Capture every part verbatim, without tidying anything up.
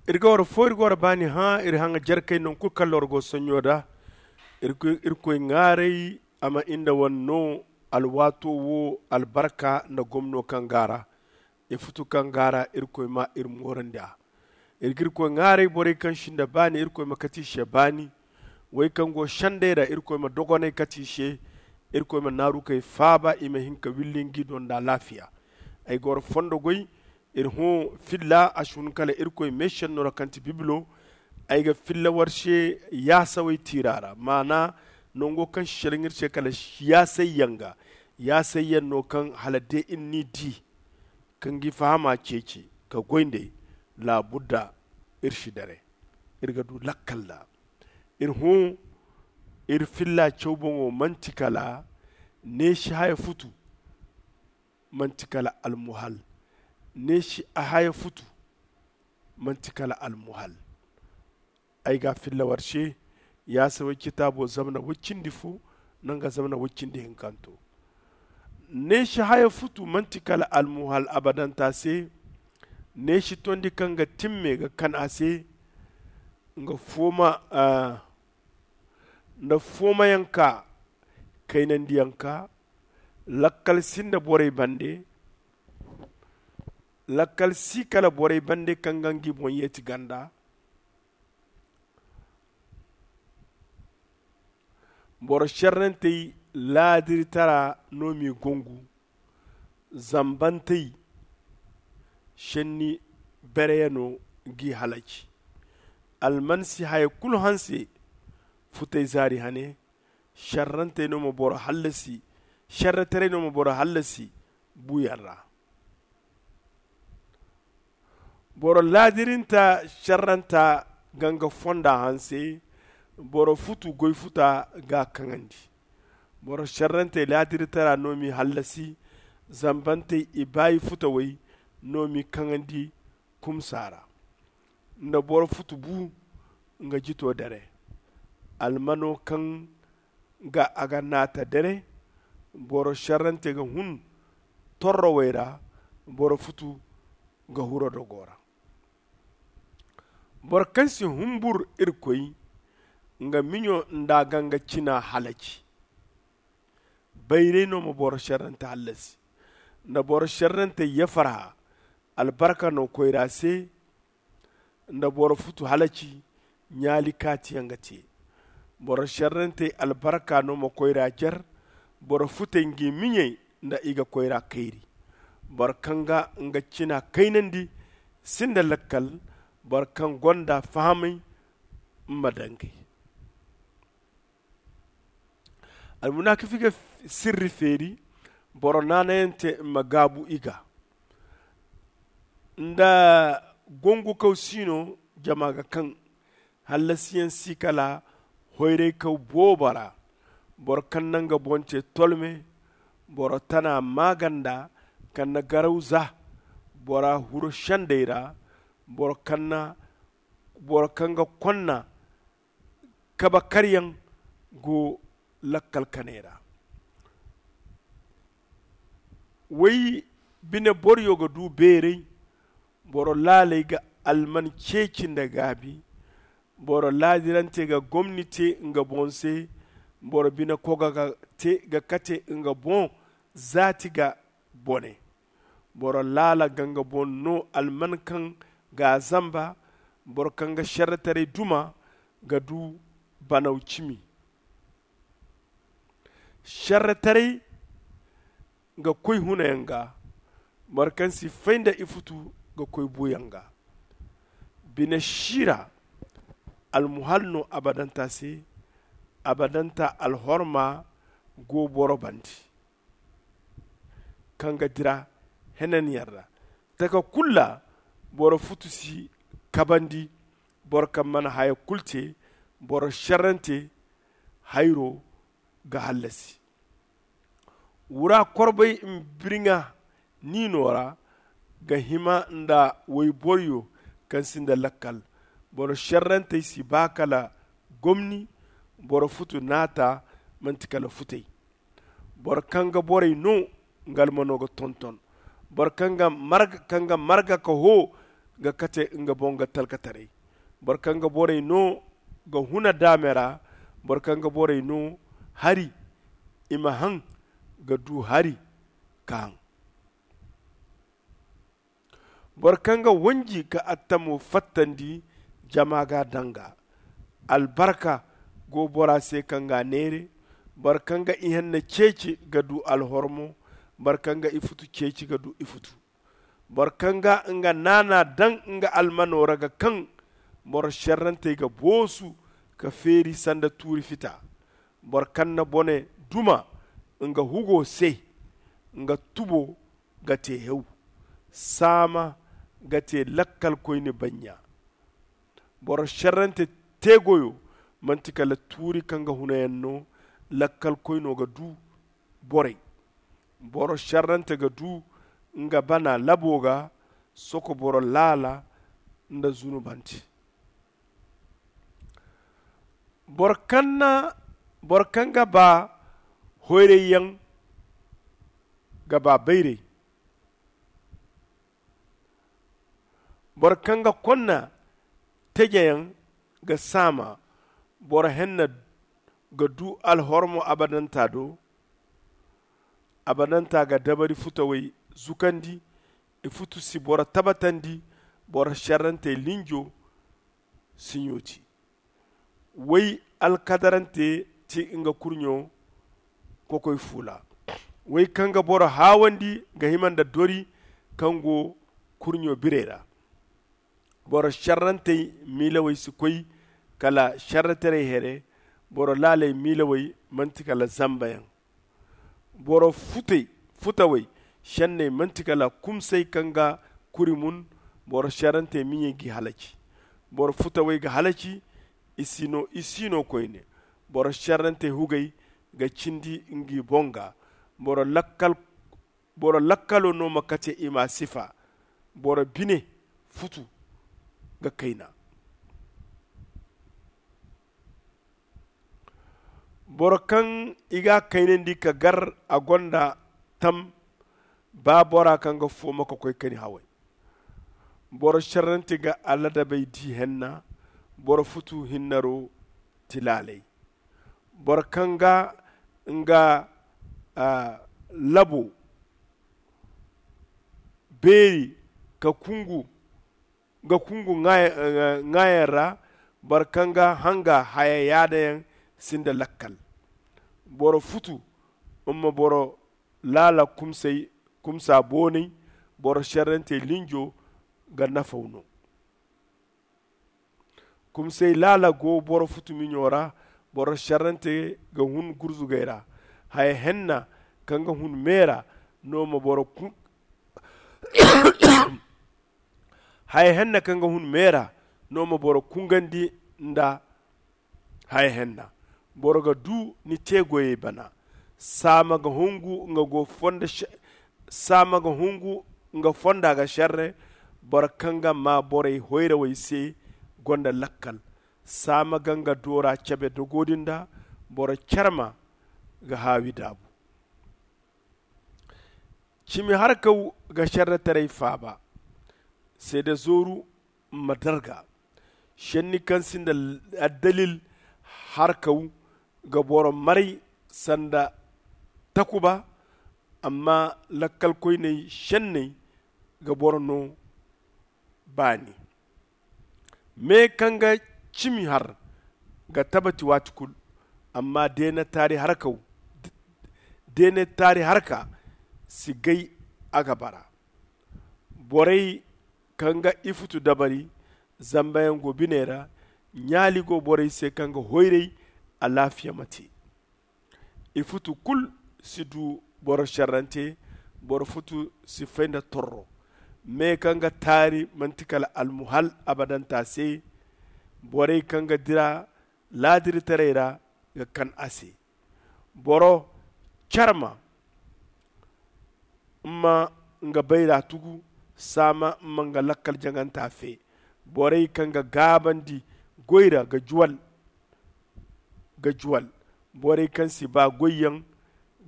Iri ga war fo iri ga war baani hã iri haŋa jarkey naŋ kulu kaŋ lorgo sonɲo da. Irkoy ŋaaray a ma inda wane no alwaato wo albarka nda gomno kaŋ ga a ra. Ifutu kaŋ ga a ra irkoy ma iri moorandi a. Iri ga irkoy ŋaaray borey kaŋ sinda baani irkoy ma kate i se baani. Wey kaŋ go sendey ra irkoy ma dogonay kate i se. Irkoy ma naarukey faaba i ma hin ka willi ngi do nda alaafiya. Ay ga war fondo goy. Iri hõ filla a si hun kala irkoy meesenno ra kaŋ ti bibilo. Ay ga filla war se yaasawey tiira ra maana nango kaŋ si selaŋ iri se kala yaasayyaŋ ga. Yaasayyaŋ no kaŋ hala de iri n'i di ka ngi fahama ceeci ka goy nd'ey. Laabudda iri si dare iri ga du lakkal nda. Iri hõ iri filla caw boŋo manti kala neesi haya futu. Manti kala almuhal neesi a haya futu. Manti kala almuhal. Ay ga a filla war se yaasa way citaabo zamana way cindi fo nanga zamana way cindi hinkanto. Neesi haya futu manti kala almuhal abadanta se. Neesi tondi kaŋ ga timme ga kan a se nga fooma nda foomayaŋ ka kaynandiyaŋ ka. Lakkal si nda borey bande. Lakkal si kala borey bande kaŋ ga ngi boŋ yeeti ganda. Boro šerrantey laadiritara no m'i gongu. Zambantey šenni bereyano g'i halaci. Alman si haya kulu hanse. Futey zaari hane šerrantey no ma boro hallasi. Šerretaray no ma boro hallasi buuyaŋ ra. Boro laadirinta šerranta ga nga fonda hanse. Boro futu goy futa ga a kaŋandi. Boro šerrantey laadiritara no m'i hallasi. Zambantey ibaayi futawey no m'i kaŋandi. Kumsa ra nda boro futu bu nga jito dare. Almano kaŋ ga a ga naata dare. Boro šerrante ga hun torrowey ra. Boro futu ga huro dogo ra. Boro kaŋ si humbur irkoy nga miɲo nda a ga nga cina halaci. Bayray no ma boro šerrante hallasi. Nda boro šerrante yafarha albarka no koyra se. Nda boro futu halaci ɲaali kaatiyaŋ ga te. Boro šerrantey albarka no ma koyra jer. Boro futey ngi miɲey nda i ga koyra kayri. Boro kaŋ ga nga cina kaynandi sinda lakkal. Boro kaŋ gonda fahamay ma dangay. Almunakifi ga sirri feeri. Boro naanayante ma gaabu i ga nda gongukaw siino. Jama ga kaŋ hallasiyaŋ si kala hoyraykaw boobo ra. Boro kaŋ na nga boŋ te tolme. Boro tana maaganda kaŋ na garaw za bora huro sendey ra. Boro kaŋ na boro kaŋ ga konna kabe karyaŋ go lakkal kanay ra. Way bine boroyo ga du beeray. Boro laaley ga alman ceeci nda gaabi. Boro laadirante ga gomni te nga boŋ se. Boro bine koga ga kate nga boŋ zaati ga bone. Boro laala ga nga boŋ no alman kaŋ ga a zamba. Boro kaŋ ga šerretaray duma ga du banaw cimi. Šerretaray ga koy hunayaŋ ga. Boro kaŋ si fay nda ifutu ga koy buuyaŋ ga. Bine siira almuhal no abadanta se. Abadanta alhorma go boro bande kaŋ ga dira henanyaŋ ra. Taka kulu ra boro futu si kabandi. Boro kaŋ mana haya kulu te boro šerrante hayro ga hallasi. Wura korbay mbirŋa niino ra ga hima nda wayboroyo kaŋ sinda lakkal. Boro šerrantey si ba kala gomni. Boro futu naata manti kala futay. Boro kaŋ ga borey no nga almano ga tonton. Boro kaŋ ga marga ka hoo ga kate nga boŋ ga talkataray. Boro kaŋ ga borey no ga huna daame ra. Boro kaŋ ga borey no hari i ma haŋ ga du hari ka haŋ. Boro kaŋ ga wanji ka attamo fattandi jama ga a daŋ ga. Albarka go bora se kaŋ ga a neere. Boro kaŋ ga ihanna ceeci ga du alhormo. Boro kaŋ ga ifutu ceeci ga du ifutu. Boro kaŋ ga nga naana daŋ nga almano ra ga kaŋ. Boro šerrantey ga boosu ka feeri sanda tuuri fita. Boro kaŋ na bone duma nga hugo se. Nga tubo ga te hew. Saama ga te lakkalkoyne banɲa. Boro šerrante teegoyo manti kala tuuri kaŋ ga hunayaŋ no. Lakkalkoyno ga du borey. Boro šerrante ga du nga bana labo ga soko boro laala nda zunubante. Boro kaŋ ga ba hoyrayyaŋ ga ba bayray. Boro kaŋ ga konna tejeyaŋ ga saama. Boro henna ga du alhormo abadanta do. Abadanta ga dabari futawey zukandi. Ifutu si boro tabatandi. Boro šerrantey linjo si ɲooti. Woy alkadarante ti nga kurɲo kokoy fuula. Woy kaŋ ga boro haawandi ga hima nda dori kaŋ go kurɲo birey ra. Boro šerrantey miilawey si koy kala šerretaray here. Boro laaley miilawey manti kala zambayaŋ. Boro futawey šenney manti kala kumsay kaŋ ga kuri mun. Boro šerrantey miɲey g'i halaci. Boro futawey ga halaci. I si no koyne. Boro šerrantey hugey ga cindi ngi boŋ ga. Boro lakkalo no ma kate i m'a sifa. Boro bine futu ga kayna. Boro kaŋ i ga a kaynandi ka gar a gonda tam. Ba bora kaŋ ga fooma ka koy kani haway. Boro šerrante ga aladabey di henna. Boro futu hinnaro ti laalay. Boro kaŋ ga nga labo beeri ka kungu ga kungu ŋaayaŋ ra. Boro kaŋ ga hanga haya yaadayaŋ sinda lakkal. Boro futu mma boro laala kumsa boonay. Boro šerrantey linjo ga nafaw no. Kumsay laala go boro futu miɲo ra. Boro šerrante ga hun gurzugey ra. Haya henna kaŋ ga hun meera no ma boro haya henna kaŋ ga hun meera no ma boro kungandi nda haya henna. Boro ga du ni te goyey bana. Saama ga hungu nga go fonda saama ga hungu nga fonda ga šerre. Boro kaŋ ga maa borey hoyrawey se gonda lakkal. Saama ga nga doora cabe dogo din da. Boro carma ga haawi daabu. Cimi harkaw ga šerretaray faaba. Seede zooru ma darga. Šenni kaŋ sinda addalil harkaw ga boro maray sanda takuba. Amma lakkalkoyney šenney ga boro no baani. Me kaŋ ga cimi har ga tabati waati kulu. Amma deena taari harkaw deena taari harka si gay a ga bara. Borey kaŋ ga ifutu dabari zambayaŋ go biney ra. Ɲaali go borey se kaŋ ga hoyray. Alaafiya ma te. Ifutu kulu si du boro šerrante. Boro futu si fay nda torro. Me kaŋ ga taari manti kala almuhal abadanta se. Borey kaŋ ga dira laadiritaray ra ga kan a se. Boro carma mma nga bayra tugu. Saama mma nga lakkal jaŋanta fe. Borey kaŋ ga gaabandi goy ra ga juwal ga juwal. Borey kaŋ si ba goyyaŋ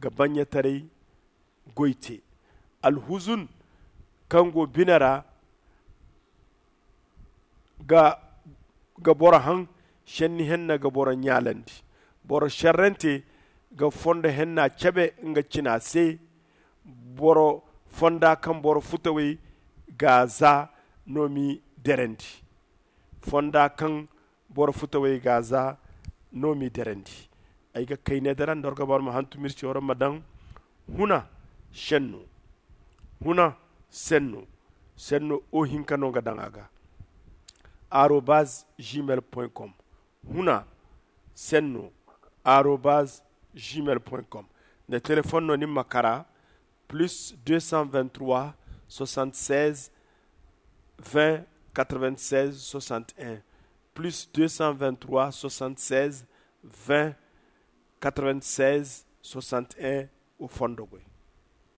ga baɲɲataray goy te. Alhuzun kaŋ go bine ra ga boro haŋ. Šenni henna ga boro ɲaalandi. Boro šerrante ga fondo henna cebe nga cina se. Boro fonda kaŋ boro futawey ga a za no m'i derandi. Fonda kaŋ boro futawey ga a za no m'i derandi. Ay ga kayne dara nda war ga boro ma hantum iri se war ma daŋ huna senno. Huna senno. Senno o hinka no ga daŋ a ga arobaz gmail point com. Huna senno arobaz gmail point com. Nda telefon no ni ma kara plus deux cent vingt-trois soixante-seize vingt quatre-vingt-seize soixante-un. Plus deux cent vingt-trois soixante-seize vingt quatre-vingt-seize soixante-un. O fondo goy.